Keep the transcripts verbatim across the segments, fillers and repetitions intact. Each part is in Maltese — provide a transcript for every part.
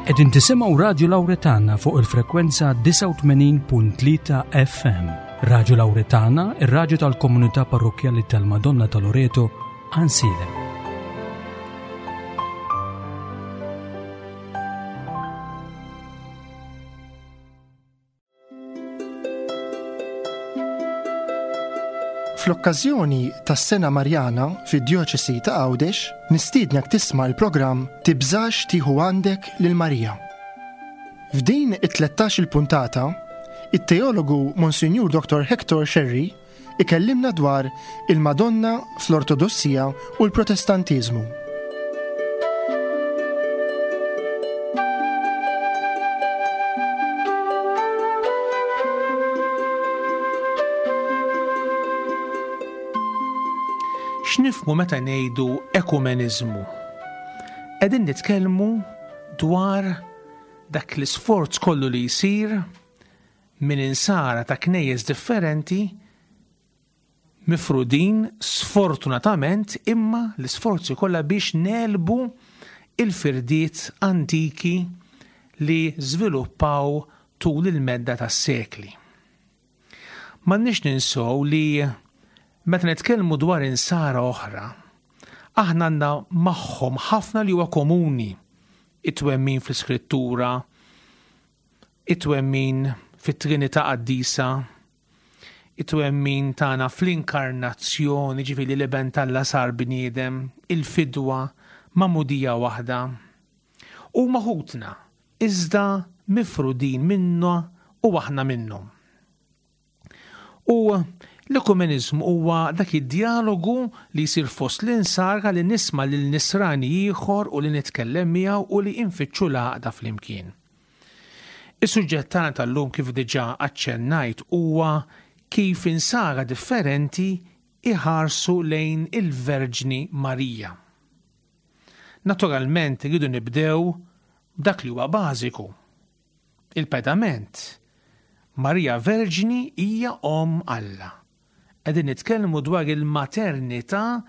Qegħdin tisimgħu Radju Lawretana fuq il-frekwenza disgħa u tmenin punt tlieta F M. Radju Lawretana, ir-radju tal-Komunità Parrokkjali tal-Madonna ta' Loreto, Għajnsielem. Fl-okkażjoni tas-Sena Marjana fid-Djoċesi ta' Għawdex, nistiednek tisma' l-programm Tibżax tieħu għandek lil Marija. F'din it-tlettax il-puntata, it-teologu Monsinjur Doktor Hector Scerri ikellimna dwar il-Madonna fl-Ortodossija u l-Protestantiżmu. X'nifhmu meta ngħidu ekumeniżmu? Qegħdin nitkellmu dwar dak l-isforz kollu li jsir minn insara ta' knejjes differenti mifrudin sfortunatament, imma l-isforzi kollha biex negħlbu il-firdiet antiki li żviluppaw tul il-medda tas-sekli. M'għandniex ninsow li meta nitkellmu dwar insara oħra, aħna għandna magħhom ħafna li huwa komuni: it-twemmin fl-Iskrittura, it-twemmin fit-Trinità Qaddisa, it-twemmin tagħna fl-inkarnazzjoni, ġifieri l-Iben t'Alla sar bniedem, il-fidwa, magħmudija waħda. Huma ħutna, iżda mifrudin minna u aħna minnhom. U l-ekumeniżmu huwa dak id-dialogu li jsir fost l-insara, li nisma' lil nisrani ieħor u li nitkellem miegħu u li infittxu l-għaqda flimkien. Is-suġġett tagħna tal-lum, kif diġà aċċennajt, huwa kif insara differenti iħarsu lejn il-Verġni Marija. Naturalment rridu nibdew b'dak li huwa bażiku. Il-pedament. Marija Verġni hija Omm Alla. Qegħdin nitkellmu dwar il-maternità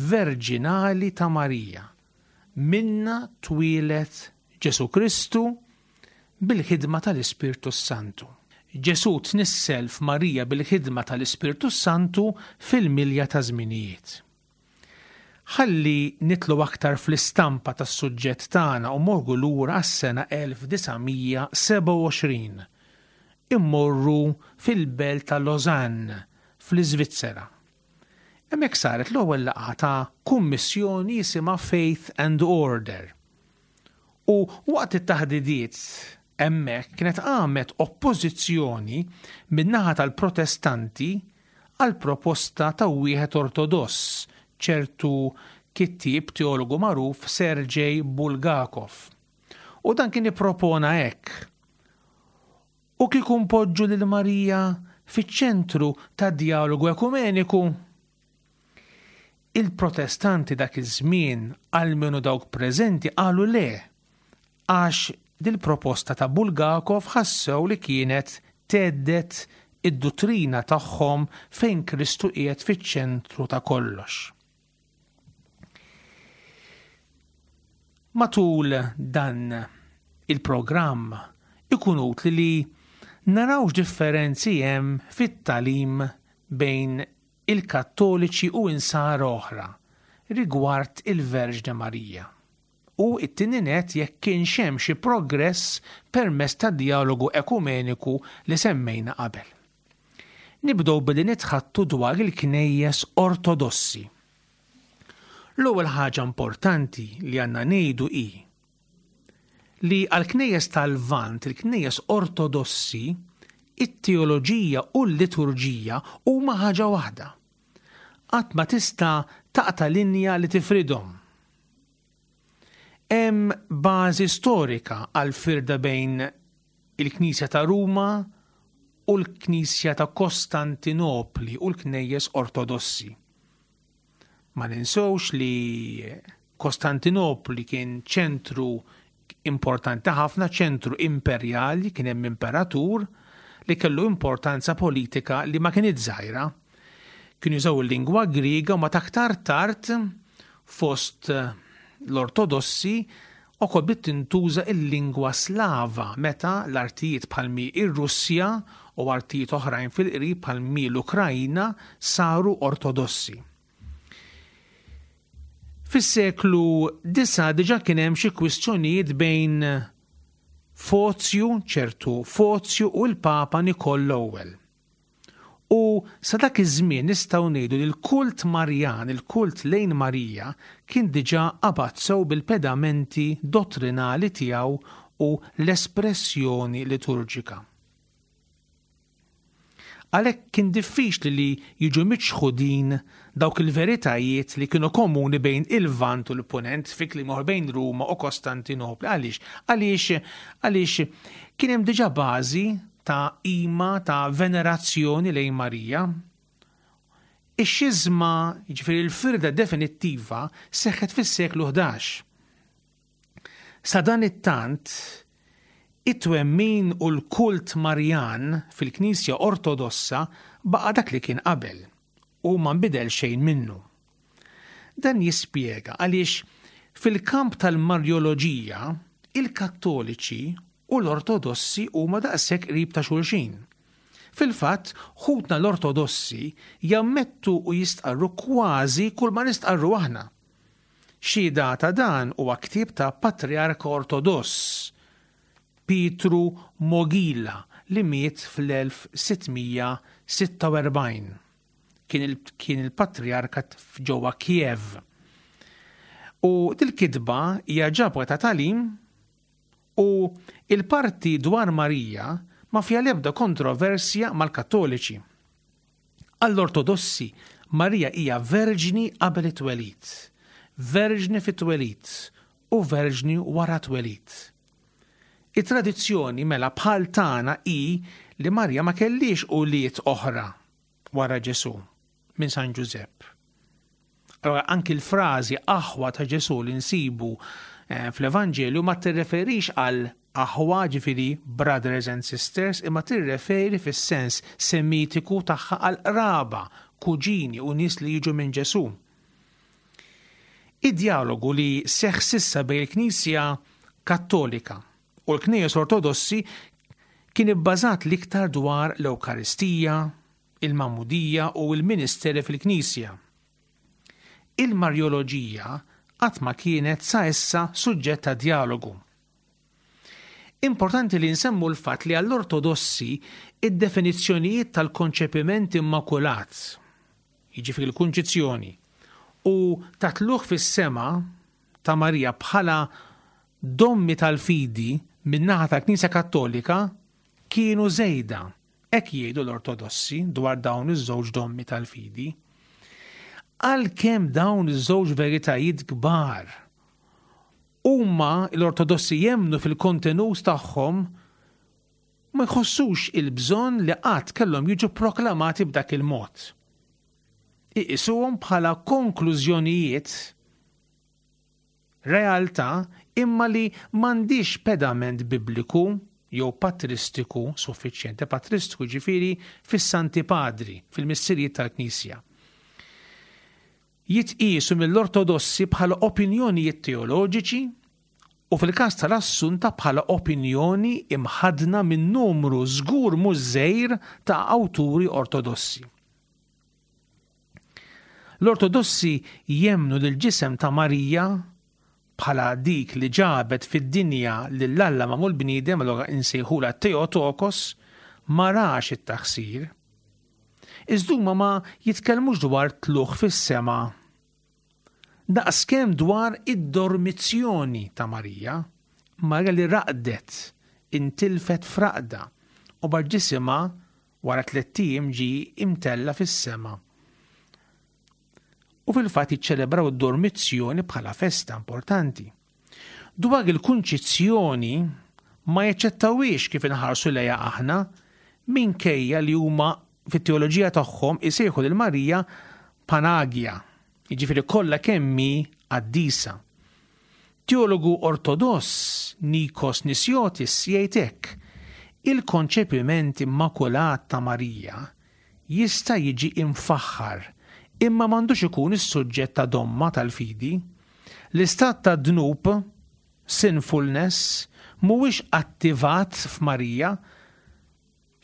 verġinali ta' Marija. Minnha twieled Ġesu Kristu bil-ħidma tal-Ispirtu Santu. Ġesu tnissel f'Marija bil-ħidma tal-Ispirtu Santu fil-milja ta' żminijiet. Ħalli nidħlu aktar fl-istampa tas-suġġett tagħna u mmorru lura għas-sena elf disa' mija sebgħa u għoxrin. Immorru fil-belt ta' Lausanne fl-Iżvizzera. Hemmhekk saret l-ewwel laqgħa ta' kummissjoni jisimha Faith and Order. U waqt it-taħdidiet hemmhekk kienet qamet oppożizzjoni min-naħa tal-Protestanti għal proposta ta' wieħed ortodoss, ċertu kittieb teologu magħruf Sergej Bulgakov. U dan kien ippropona hekk: U kieku npoġġu lil Marija fiċ-ċentru ta' dialogu ekumeniku? Il-Protestanti dak iż-żmien, almenu dawk preżenti, qalu le, għax dil-proposta ta' Bulgakov ħassew li kienet thedded id-dottrina tagħhom fejn Kristu qiegħed fiċ-ċentru ta' kollox. Matul dan il-programm ikun utli li naraw differenzi hemm fit-tagħlim bejn il-Kattoliċi u insara oħra rigward il-Verġni Marija. U it-tieni nett, jekk kienx hemm xi progress permezz ta' dialogu ekumeniku li semmejna qabel. Nibdew billi nitħaddtu dwar il-knejjes ortodossi. L-ewwel ħaġa importanti li għandna ngħidu hi li għal-knejjes tal-Lvant, il-knejjes ortodossi, it-teoloġija u l-liturġija huma ħaġa waħda. Qatt ma tista' taqta' linja li tifridhom. Hemm bażi storika għal firda bejn il-Knisja ta' Ruma u l-Knisja ta' Kostantinopli u l-Knejjes Ortodossi. Ma ninsewx li Kostantinopli kien ċentru importanti ħafna, ċentru imperjali, kien hemm imperatur li kellu importanza politika li ma kienet żgħira. Kienu jużaw il-lingwa Griega u ma aktar tard fost l-Ortodossi Ukoll bdiet tintuża il-lingwa Slava meta l-artijiet bħalmi ir-Russja u artijiet oħrajn fil-qrib bħalmi l-Ukrajna saru ortodossi. Fis-seklu disa' diġà kien hemm xi kwistjonijiet bejn Fozju, ċertu Fozju u l-Papa Nikol l-Ewwel. U sa dak iż-żmien nistgħu ngħidu li l-kult Marjan, il-kult lejn Marija, kien diġà qabad sew bil-pedamenti dottrinali tiegħu u l-espressjoni liturġika. Għalhekk kien diffiċli li jiġu miċħudin dawk il-veritajiet li kienu komuni bejn il-Lvant u l-Punent, fi kliem ieħor bejn Ruma u Kostantinopli. Għaliex? Għaliex, għaliex kien hemm diġà bażi ta' qima, ta' venerazzjoni lejn Marija. Ix-xiżma, jiġifieri l-firda definittiva, seħħet fis-seklu ħdax. Sa dan it-tant, it-twemmin u l-kult Marjan fil-Knisja Ortodossa baqa' dak li kien qabel u ma nbidel xejn minnu. Dan jispjega għaliex fil-kamp tal-Marjoloġija il-Kattoliċi u l-Ortodossi huma daqshekk qrib ta' xulxin. Fil-fatt, ħutna l-Ortodossi jammettu u jistqarru kważi kull ma nistqarru aħna. Xhieda ta' dan huwa ktieb ta' Patriarka Ortodoss, Pietru Mogila, li miet fl-elf sittmija sitta u erbgħin. Kien il-, kien il-patriarka ġewwa Kiev. U dil-kitba hija ġabra ta' tagħlim u il-parti dwar Marija ma fiha l-ebda kontroversja mal-Kattoliċi. Għall-Ortodossi, Marija hija verġni qabel it-twelid, verġni fit-twelid u verġni wara twelid. It-tradizzjoni mela bħal tagħna hi li Marija ma kellix ulied oħra wara Ġesù minn San Ġużepp. Allora anki l-frażi aħwa ta' Ġesù li nsibu, eh, fl-Evanġelju ma tirreferix għal aħwa, ġifieri brothers and sisters, imma tirreferi fis-sens semitiku tagħha għal qraba, kuġini u nies li jiġu minn Ġesù. Id-dialogu li seħħ sissa bejn il-Knisja Kattolika u l-Knejjes Ortodossi kien ibbażat l-iktar dwar l-Ewkaristija, il-Magħmudija u l-Ministeri fil-Knisja. Il-Marjoloġija qatt ma kienet sa issa suġġett ta' dialogu. Importanti li nsemmu l-fatt li għall-Ortodossi id-definizzjonijiet tal-konċepiment immakulat, jiġifieri l-kunċizzjoni, u ta' tlugħ fis-sema ta' Marija bħala dommi tal-fidi min-naħa tal-Knisja Kattolika kienu żejda. Hekk jgħidu l-Ortodossi dwar dawn iż-żewġ dommi tal-fidi. Għalkemm dawn iż-żewġ veritajiet kbar huma l-Ortodossi jemmnu fil-kontenut tagħhom, ma jħossux il-bżonn li qatt kellhom jiġu proklamati b'dak il-mod. Iqisuhom bħala konklużjonijiet realtà imma li m'għandix pedament bibliku jew patristiku suffiċjenti. Patristiku ġifieri fis-Santi Padri, fil-missirijiet tal-Knisja. Jitqisu mill-Ortodossi bħala opinjonijiet teoloġiċi u fil-każ tal-Assunta bħala opinjoni imħadna minn numru żgur mhux żgħir ta' awturi ortodossi. L-Ortodossi jemmnu li l-ġisem ta' Marija bħala dik li ġabet fid-dinja lil Alla magħmul bniedem, allura insejħula Theotokos, ma rax it-taħsir. Iżda huma ma jitkellmux dwar tlugħ fis-sema daqskemm dwar id-dormizzjoni ta' Marija, Marija li raqdet, intilfet fraqda u bar ġisimha wara tliet ijiem ġie imtella fis-sema. U fil-fatt jiċċelebraw id-dormizzjoni bħala festa importanti. Dwar il-kunċizzjoni ma jaċċettawhiex kif inħarsu lejha aħna, minkejja li huma fit-teoloġija tagħhom isejħu lil Marija Panagia, jiġifieri kollha kemm hi qaddisa. Teologu ortodoss Nikos Nisiotis jgħid hekk: il-konċepiment immakulat ta' Marija jista' jiġi imfaħħar, imma m'għandux ikun is-suġġett ta' domma tal-fidi. L-istat ta' dnub, Sinfulness, mhuwiex attivat f'Marija.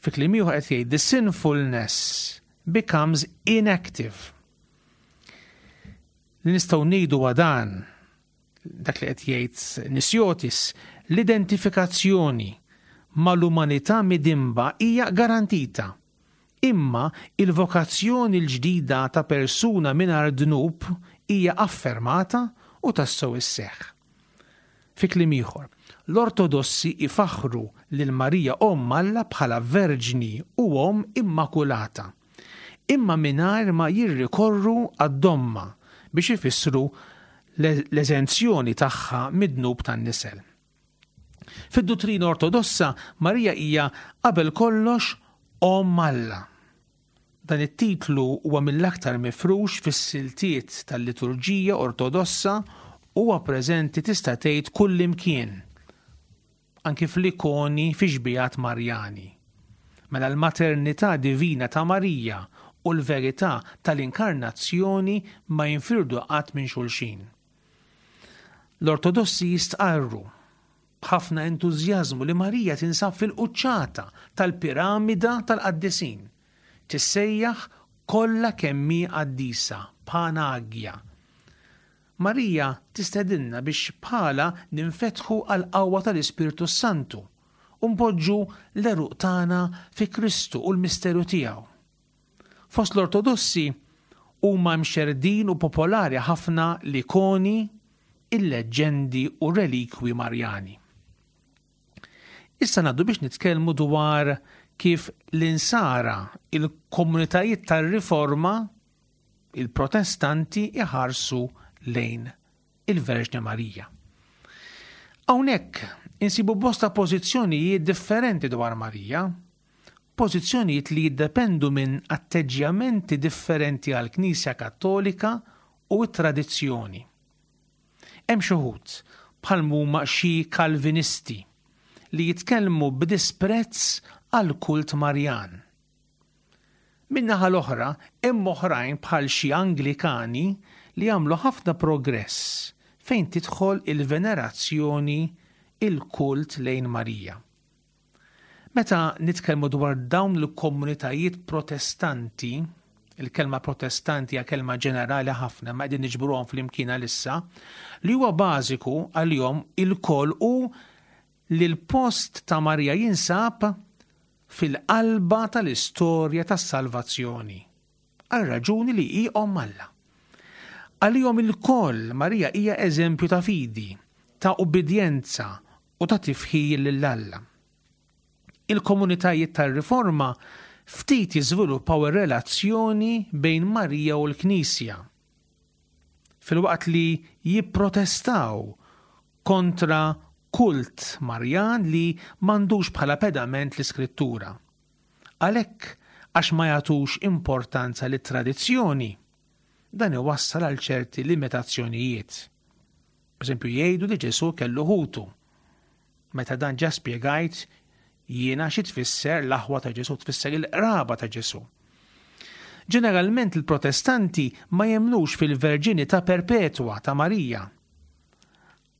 Fi kliem ieħor qed jgħid the sinfulness becomes inactive. Li nistgħu ngħidu dan dak li qed jgħid Nisjotis, l-identifikazzjoni mal-umanità midinba hija garantita. Imma il-vokazzjoni l-ġdida ta' persuna mingħajr dnub hija affermata u tassew isseħħ. Fi kliem ieħor, l-Ortodossi ifaħru lil Marija Omm Alla bħala Verġni u Omm Immakulata, imma mingħajr ma jirrikorru għad-domma biex ifissru l-eżenzjoni tagħha mid-dnub tan-nisel. Fid-duttrina Ortodossa, Marija hija qabel kollox Omm Alla. Dan it-titlu huwa mill-aktar mifrux fis-siltiet tal-liturġija Ortodossa huwa preżenti tista' tgħid kullimkien, anki fl-ikoni fi xbijat Marjani. Mela l-maternità divina ta' Marija u l-verità tal-inkarnazzjoni ma jinfirdu qatt minn xulxin. L-Ortodossi jistqarru b'ħafna entużjażmu li Marija tinsab fil-quċċata tal-piramida tal-qaddisin. Tissejjaħ kollha kemm hi qaddisa, Panagia. Marija tistedinna biex bħala ninfetħu għal qawwa tal-Ispirtu Santu u npoġġu l-għeruq tagħna fi Kristu u l-misteru tiegħu. Fost l-Ortodossi huma mxerdin u popolari ħafna l-ikoni, il-leġġendi u relikwi Marjani. Issa ngħaddu biex nitkellmu dwar kif l-insara, il-komunitajiet tar-Riforma, il-Protestanti iħarsu lejn il-Verġni Marija. Hawnhekk insibu bosta pożizzjonijiet differenti dwar Marija, pożizzjonijiet li jiddependu minn atteġġjamenti differenti għall-Knisja Kattolika u t-tradizzjoni. Hemm xi wħud bħal huma xi Kalvinisti li jitkellmu b'disprezz għal kult Marjan. Min-naħa l-oħra, hemm oħrajn bħal xi Anglikani li għamlu ħafna progress fejn tidħol il-venerazzjoni, il-kult lejn Marija. Meta nitkellmu dwar dawn il-komunitajiet protestanti, il-kelma protestanti hija kelma ġenerali ħafna, ma qegħdin niġbruhom flimkien għalissa, li huwa bażiku għalihom ilkoll hu li l-post ta' Marija jinsab fil-qalba tal-istorja tas-salvazzjoni, għal raġuni li hi Omm Alla. Għalihom ilkoll Marija hija eżempju ta' fidi, ta' ubbidjenza u ta' tifħir lil Alla. Il-komunitajiet tar-Riforma ftit jiżviluppaw ir-relazzjoni bejn Marija u l-Knisja, filwaqt li jipprotestaw kontra kult Marjan li m'għandux bħala pedament l-Iskrittura. Għalhekk, għax ma jagħtux importanza lit-tradizzjoni, dan iwassal għal ċerti limitazzjonijiet. Per eżempju, jgħidu li Ġesù kellu ħutu. Meta dan ġa spjegajt jiena xi tfisser l-aħwa ta' Ġesù, tfisser il-qraba ta' Ġesù. Ġeneralment il-Protestanti ma jemnux fil-verġinità perpetwa ta' Marija.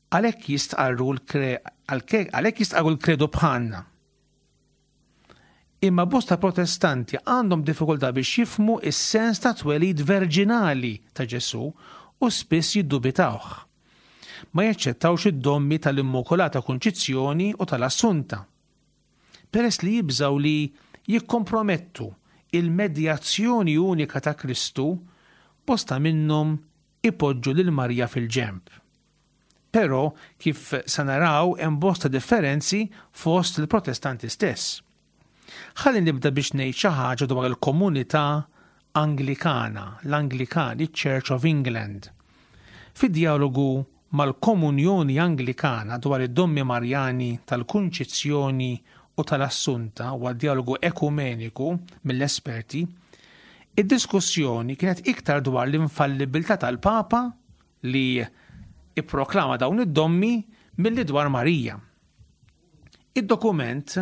Għalhekk jistqarru għalhekk jistqarru l-kredu bħalna. Imma bosta Protestanti għandhom diffikultà biex jifhmu is-sens ta' twelid verġinali ta' Ġesù u spiss jiddubitawh. Ma jaċċettawx id-dommi tal-Immakulata Kunċizzjoni u tal-Assunta. Peress li jibżaw li jikkompromettu il-medjazzjoni unika ta' Kristu, bosta minnhom ipoġġu lil Marija fil-ġenb. Però kif sa naraw hemm bosta differenzi fost il-Protestanti stess. Ħalli nibda biex ngħid xi ħaġa dwar il-komunità Anglikana, l-Anglikani Church of England. Fid-dialogu mal-Komunjoni Anglikana dwar id-dommi Marjani tal-Kunċizzjoni u tal-Assunta u dialogu ekumeniku mill-esperti, id-diskussjoni kienet iktar dwar l-infallibilità tal-Papa li ipproklama dawn id-dommi milli dwar Marija. Id-dokument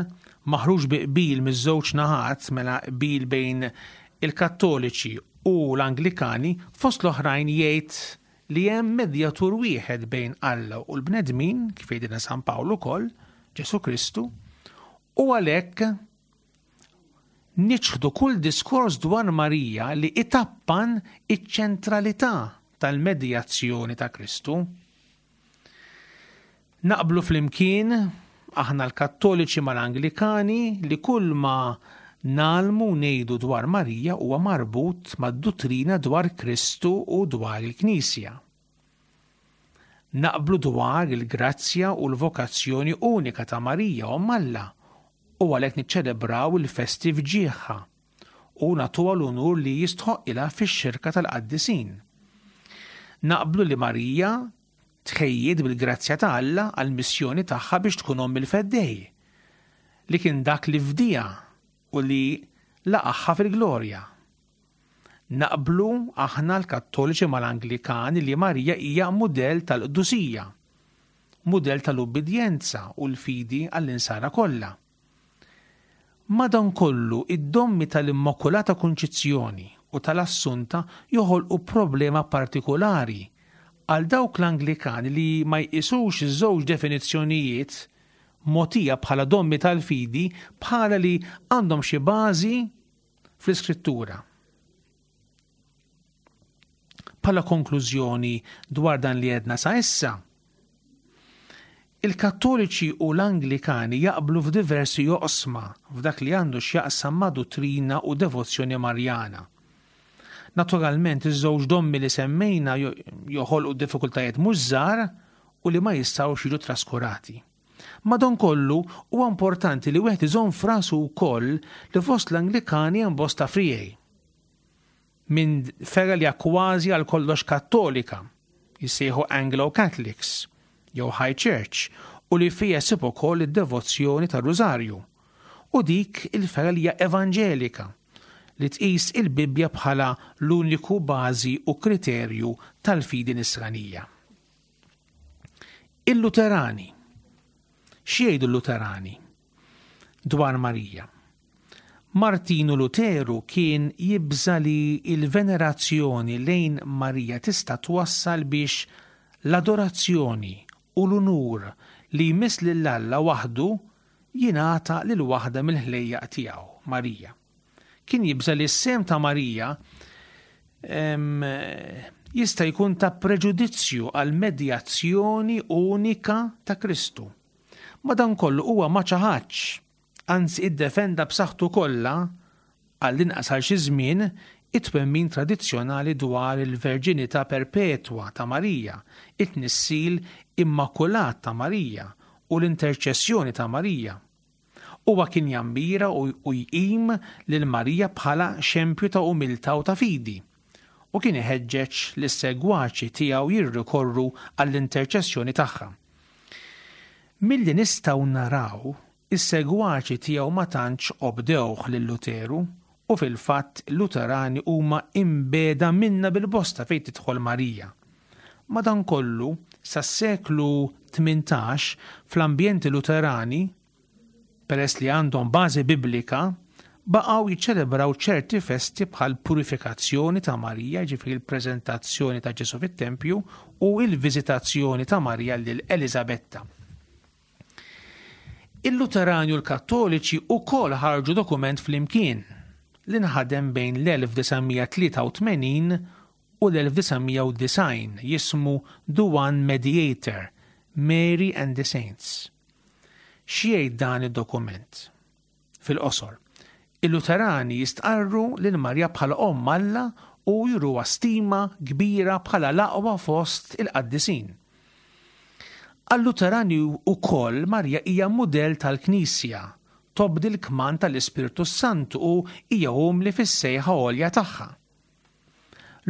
maħruġ bi qbil miż-żewġ naħat, mela qbil bejn il-Kattoliċi u l-Anglikani, fost l-oħrajn jgħid li hemm medjatur wieħed bejn Alla u l-bnedmin, kif jgħidilna San Pawl ukoll, Ġesù Kristu, u għalhekk niċħdu kull diskors dwar Marija li itappan iċ-ċentralità tal-medjazzjoni ta' Kristu. Naqblu flimkien aħna l-Kattoliċi mal-Anglikani li kull ma nagħmlu ngħidu dwar Marija huwa marbut mad-duttrina dwar Kristu u dwar il-Knisja. Naqblu dwar il-grazzja u l-vokazzjoni unika ta' Marija Omm Alla u għalhekk niċċelebraw il-festi f'ġieħha u nagħtuha l-unur li jistħoqqilha fix-xirka tal-qaddisin. Naqblu li Marija tħejjiet bil-grazzja ta' Alla għall-missjoni tagħha biex tkun omm il-Feddej, li kien dak li fdiha u li laqagħha fil-glorja. Naqblu aħna l-Kattoliċi mal-Anglikani li Marija hija mudell tal-qdusija, mudell tal-ubbidjenza u l-fidi għall-insara kollha. Madankollu, id-dommi tal-Immakulata Kunċizzjoni u tal-Assunta joħolqu problema partikolari għal dawk l-Anglikani li ma jqisux iż-żewġ definizzjonijiet mogħtija bħala dommi tal-fidi bħala li għandhom xi bażi fl-Iskrittura. Bħala konklużjoni dwar dan li għedna sa issa, il-Kattoliċi u l-Anglikani jaqblu f'diversi oqsma f'dak li għandu x'jaqsam ma' duttrina u devozzjoni Marjana. Naturalment, iż-żewġ dommi li semmejna joħolqu diffikultajiet mhux żgħar u li ma jistgħux jiġu traskurati. Madankollu, huwa importanti li wieħed iżomm f'rasu wkoll li fost l-Anglikani hemm bosta friegħi minn fergħa li hija kważi għal kollox Kattolika, jissejħu Anglo-Catholics jew High Church, u li fija ssib ukoll id-devozzjoni tar-Rużarju, u dik il-fergħa li hija evanġelika li tqis il-Bibbja bħala l-uniku bażi u kriterju tal-fidi nisranija. Il-Luterani. X'jgħidu l-Luterani dwar Marija? Martinu Luteru kien jibża li il-venerazzjoni lejn Marija tista' twassal biex l-adorazzjoni u l-unur li jmiss lil Alla waħdu jingħata lil waħda mill-ħlejjaq tiegħu, Marija. Kien jibża li s-sem ta' Marija jista' jkun ta' preġudizzju għal medjazzjoni unika ta' Kristu. Madankollu huwa ma ċaħadx, anzi iddefenda b'saħħtu kollha għall-inqas għal xi żmien it-twemmin tradizzjonali dwar il-verġinità perpetwa ta' Marija, it-tnissil immakulat ta' Marija u l-interċessjoni ta' Marija. Huwa kien jammira u jqim lil Marija bħala xempju ta' umiltà u ta' fidi, u kien iħeġġeġ lis-segwaċi tiegħu jirrikorru għall-interċessjoni tagħha. Milli nistgħu naraw, is-segwaċi tiegħu ma tantx obdewh lil Luteru, u fil-fatt Luterani huma imbeda minna bil-bosta fejn tidħol Marija. Madankollu, sas-seklu tmintax fl-ambjenti Luterani, peress li għandhom bażi biblika, baqgħu jiċċelebraw ċerti festi bħal purifikazzjoni ta' Marija, ġifieri l-preżentazzjoni ta' Ġesù fit-tempju u l-viżitazzjoni ta' Marija lil Eliżabetta. Il-Luterani u l-Kattoliċi wkoll ħarġu dokument flimkien li nħadem bejn l-elf disa' mija tlieta u tmenin u l-elf disa' mija u disgħin jismu The One Mediator, Mary and the Saints. X'jgħid dan id-dokument? Fil-qosor, il-Luterani jistqarru lil Marija bħala Omm Alla u juruha stima kbira bħala l-aqwa fost il-qaddisin. Għal-Luterani wkoll Marija hija mudell tal-Knisja, tobdi l-kmand tal-Ispirtu Santu u hija umli fis-sejħa għolja tagħha.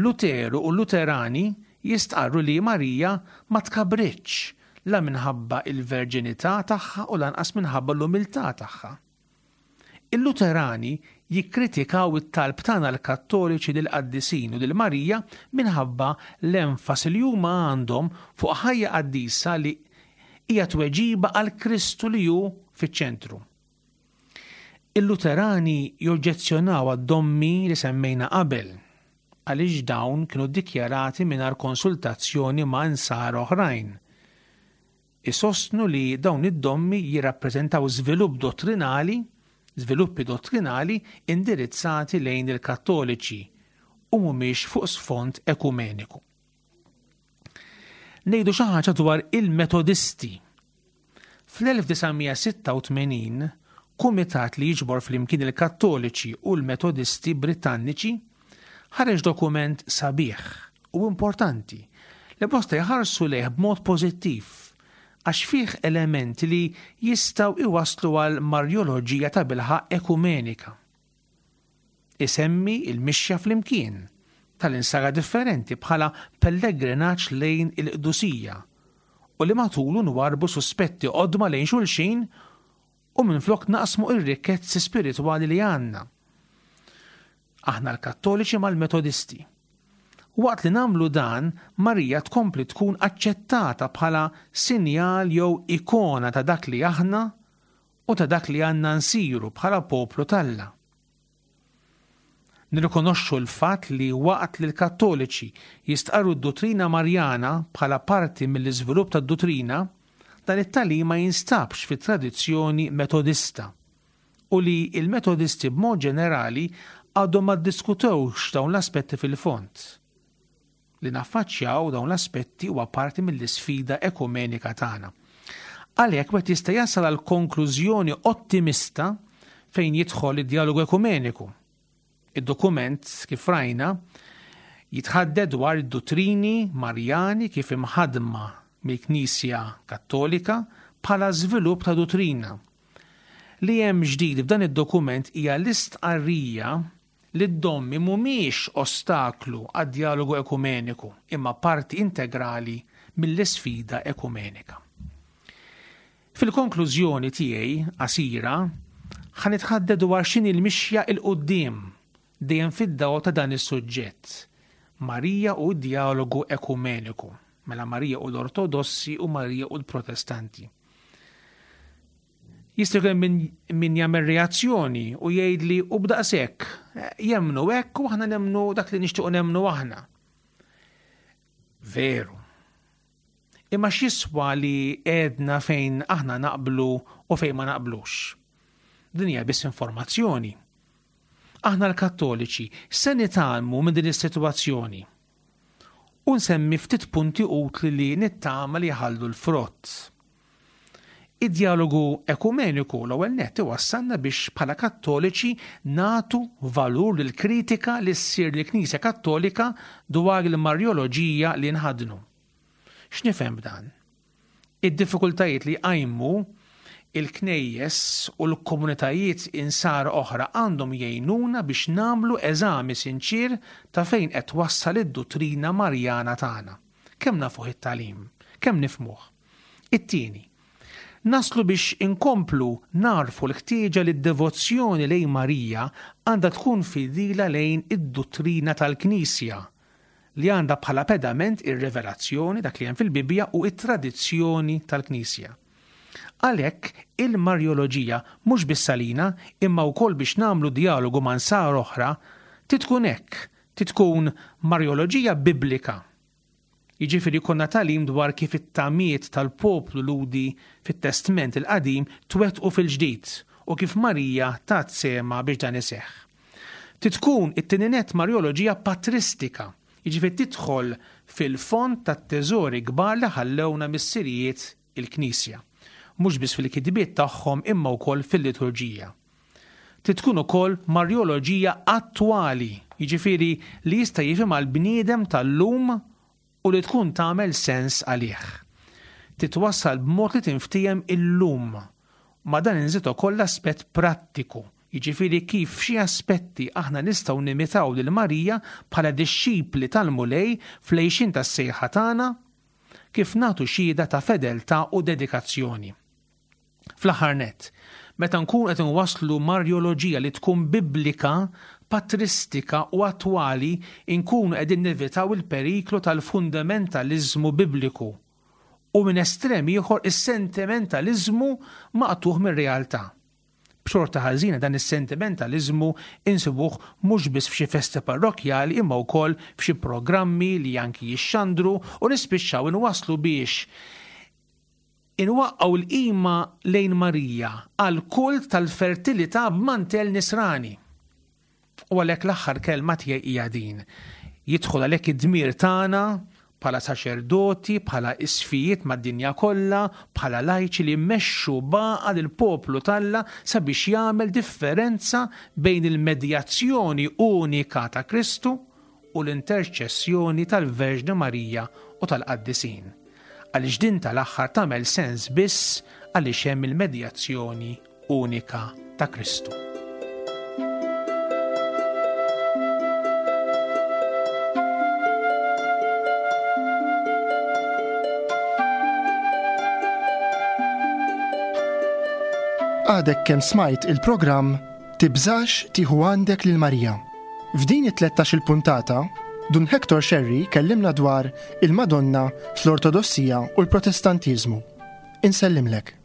Luteru u Luterani jistqarru li Marija ma tkabritx la minħabba il-verġinità tagħha u lanqas minħabba l-umiltà tagħha. Il-Luterani jikkritikaw it-talb tagħna l-Kattoliċi lill-qaddisin u lil Marija minħabba l-enfasi li huma għandhom fuq ħajja qaddisa li hija tweġiba għal Kristu li hu fiċ-ċentru. Il-Luterani joġġezzjonaw għad-dommi li semmejna qabel. għaliex dawn kienu ddikjarati mingħajr konsultazzjoni ma' insara oħrajn. Isostnu li dawn id-dommi jirrappreżentaw żvilupp dottrinali, żviluppi dottrinali indirizzati lejn il-Kattoliċi u mhumiex fuq sfond ekumeniku. Ngħidu xi ħaġa dwar il-Metodisti. Fl-elf disa' mija sitta u tmenin, kumitat li jiġbor flimkien il-Kattoliċi u l-Metodisti Britanniċi ħareġ dokument sabiħ u importanti li bosta jħarsu lejh b'mod pożittiv għax fih elementi li jistgħu iwasslu għal marjoloġija ta' bilħaq ekumenika. Isemmi il-mixja flimkien tal-insara differenti bħala pellegrinaġġ lejn il-qdusija u li matulu nwarbu suspetti qodma lejn xulxin u minflok naqsmu ir-rikkezzi spiritwali li għandna. Aħna l-Kattoliċi mal-Metodisti. Waqt li namlu dan, Marija tkompli tkun aċċettata bħala sinjal jew ikona ta' dak li aħna u ta' dak li għandna nsiru bħala poplu t'Alla. Nirrikonoxxu l-fatt li waqt li l-Kattoliċi jistqarru d-dottrina Marjana bħala parti mill-iżvilupp tad-dottrina, dan it-tagħlim ma jinstabx fit-tradizzjoni Metodista u li il-Metodisti b'mod ġenerali għadhom ma ddiskutewx dawn l-aspetti fil-fond. Li naffaċċjaw dawn l-aspetti huwa parti mill-isfida ekumenika tagħna. Għalhekk wieħed jista' jasal għal konklużjoni ottimista fejn jidħol id-dialogu ekumeniku. Id-dokument, kif rajna, jitħadded dwar id-dottrini Marjani kif imħadma mill-Knisja Kattolika bħala żvilupp ta' dottrina. Li hemm ġdid f'dan id-dokument hija l-istqarrija li d-dommi mhumiex ostaklu għad-dialogu ekumeniku, imma parti integrali mill-isfida ekumenika. Fil-konklużjoni tiegħi qasira, ħa nitħadded dwar x'inhi l-mixja 'l quddiem dejjem fid-dawl ta' dan is-suġġett, Marija u d-dialogu ekumeniku, mela Marija u l-Ortodossi u Marija u l-Protestanti. Jista' jkun min, min jagħmel reazzjoni u jgħidli u b'daqshekk jemmnu hekk u aħna nemmnu dak li nixtiequ nemmnu aħna. Veru. Imma x'jiswa li għedna fejn aħna naqblu u fejn ma naqblux? Din hija biss informazzjoni. Aħna l-Kattoliċi se nitgħallmu minn din is-sitwazzjoni. U nsemmi ftit punti utli li nittama li jħallu l-frott. Id-dialogu ekumeniku l-ewwel nett iwassalna biex bħala Kattoliċi nagħtu valur lil kritika li ssir lill-Knisja Kattolika dwar il-Marjoloġija li nħadnu. X'nifhem b'dan? Id-diffikultajiet li qajmu il-knejjes u l-komunitajiet insara oħra għandhom jgħinuna biex nagħmlu eżami sinċir ta' fejn qed twassal id-dottrina Marjana tagħna. Kemm nafuh it-tagħlim, kemm nifhmuh. It-tieni, naslu biex inkomplu narfu l-ħtieġa li d-devozzjoni lejn Marija għandha tkun fidila lejn id-dottrina tal-Knisja li għandha bħala pedament ir-revelazzjoni dak li hemm fil-Bibbja u it-tradizzjoni tal-Knisja. Għalhekk il-Marjoloġija mhux biss għalina imma wkoll biex nagħmlu dialogu ma' nsara oħra titkun hekk, titkun Marjoloġija biblika. Jiġifieri konna tagħlim dwar kif it-tamiet tal-poplu Lhudi fit-Testment il-Qadim twettqu fil-ġdid u kif Marija tat sema biex dan iseħħ. Titkun it-tieni nett Marjoloġija patristika, jiġifieri tidħol fil-fond tat-teżori kbar li ħallewna missirijiet il-Knisja, mhux biss fil-kitbiet tagħhom imma wkoll fil-liturġija. Titkun ukoll Marjoloġija attwali, jiġifieri li jista' jifhimha l-bniedem tal-lum u li tkun tagħmel sens għalih. Titwassal b'mod li tinftiehem illum. Ma dan inżid ukoll l-aspett prattiku, jiġifieri kif f'xi aspetti aħna nistgħu nimitaw lil Marija bħala dixxipli tal-Mulej fl-għixien tas-sejħa tagħna, kif nagħtu xhieda ta' fedeltà u dedikazzjoni. Fl-aħħar nett, meta nkun qed inwasslu Marjoloġija li tkun biblika, patristika u attwali, inkunu qegħdin nevitaw il-periklu tal-fundamentaliżmu bibliku u minn estrem ieħor is-sentimentaliżmu maqtugħ mir-realtà. B'xorta ħażina dan is-sentimentaliżmu insibuh mhux biss f'xi festi parrokkjali imma wkoll f'xi programmi li anki jixxandru u nispiċċaw inwasslu biex inwaqqgħu l-qima lejn Marija għal kult tal-fertilità b'mantell nisrani. U għalhekk l-aħħar kelma tiegħi hija din. Jidħol għalhekk id-dmir tagħna bħala saċerdoti, bħala isqfijiet mad-dinja kollha, bħala lajċi li mmexxu baqa lill-poplu t'Alla sabiex jagħmel differenza bejn il-medjazzjoni unika ta' Kristu u l-interċessjoni tal-Verġni Marija u tal-Qaddisin. Għaliex din tal-aħħar tagħmel sens biss għaliex hemm il-medjazzjoni unika ta' Kristu. Għadek kemm smajt il-programm Tibżax tieħu għandek lil Marija. F'din it-tlettax il-puntata, Dun Hector Scerri kellimna dwar il-Madonna fl-Ortodossija u l-Protestantiżmu. Insellimlek.